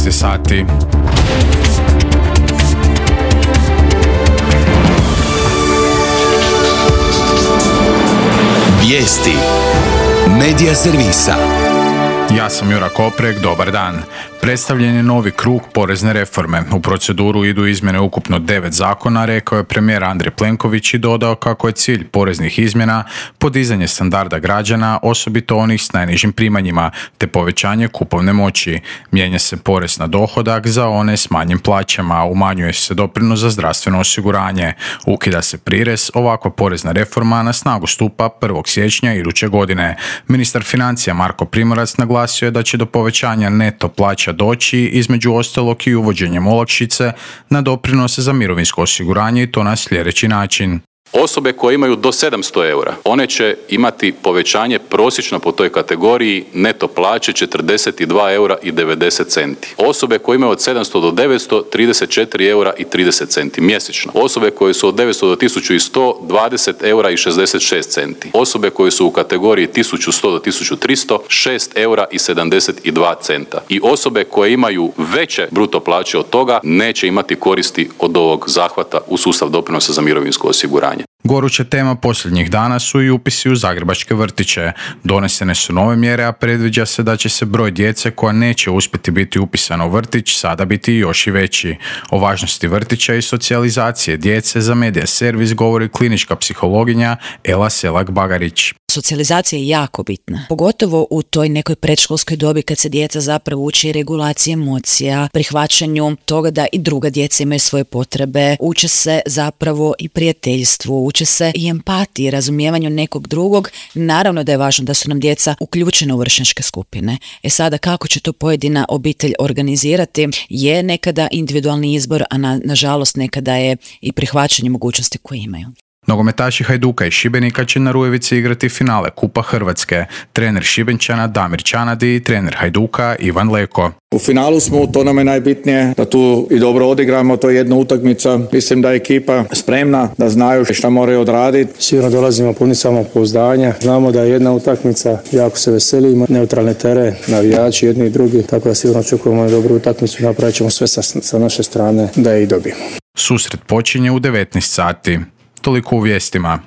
16 sati. Vijesti Medija servisa. Ja sam Jura Koprek, dobar dan. Predstavljen je novi krug porezne reforme. U proceduru idu izmjene ukupno 9 zakona, rekao je premijer Andrej Plenković i dodao kako je cilj poreznih izmjena podizanje standarda građana, osobito onih s najnižim primanjima, te povećanje kupovne moći. Mijenja se porez na dohodak za one s manjim plaćama, umanjuje se doprinos za zdravstveno osiguranje, ukida se prirez. Ovakva porezna reforma na snagu stupa 1. siječnja iduće godine. Ministar financija Marko Primorac naglasio je da će do povećanja neto plaća doći između ostalog i uvođenjem olakšice na doprinose za mirovinsko osiguranje i to na sljedeći način. Osobe koje imaju do 700 eura, one će imati povećanje prosječno po toj kategoriji neto plaće 42 eura i 90 centi. Osobe koje imaju od 700 do 900, 34 eura i 30 centi mjesečno. Osobe koje su od 900 do 1100, 20 eura i 66 centi. Osobe koje su u kategoriji 1100 do 1300, 6 eura i 72 centa. I osobe koje imaju veće bruto plaće od toga neće imati koristi od ovog zahvata u sustav doprinosa za mirovinsko osiguranje. Goruća tema posljednjih dana su i upisi u zagrebačke vrtiće. Donesene su nove mjere, a predviđa se da će se broj djece koja neće uspjeti biti upisana u vrtić sada biti još i veći. O važnosti vrtića i socijalizacije djece za Medija servis govori klinička psihologinja Ela Selak-Bagarić. Socijalizacija je jako bitna, pogotovo u toj nekoj predškolskoj dobi kad se djeca zapravo uči regulaciji emocija, prihvaćanju toga da i druga djeca imaju svoje potrebe, uče se zapravo i prijateljstvu, uče se i empatiji, razumijevanju nekog drugog. Naravno da je važno da su nam djeca uključena u vršnjačke skupine. Sada kako će to pojedina obitelj organizirati je nekada individualni izbor, a nažalost nekada je i prihvaćanje mogućnosti koje imaju. Nogometaši Hajduka i Šibenika će na Rujevici igrati finale Kupa Hrvatske. Trener Šibenčana Damir Čanadi i trener Hajduka Ivan Leko. U finalu smo, to nam je najbitnije, da tu i dobro odigramo, to je jedna utakmica. Mislim da je ekipa spremna, da znaju šta moraju odraditi. Sigurno dolazimo puni samopouzdanja. Znamo da je jedna utakmica, jako se veselimo, neutralni teren, navijači jedni i drugi, tako da sigurno očekujemo dobru utakmicu, napravit ćemo sve sa naše strane da je i dobijemo. Susret počinje u 19 sati. Toliko u vijestima.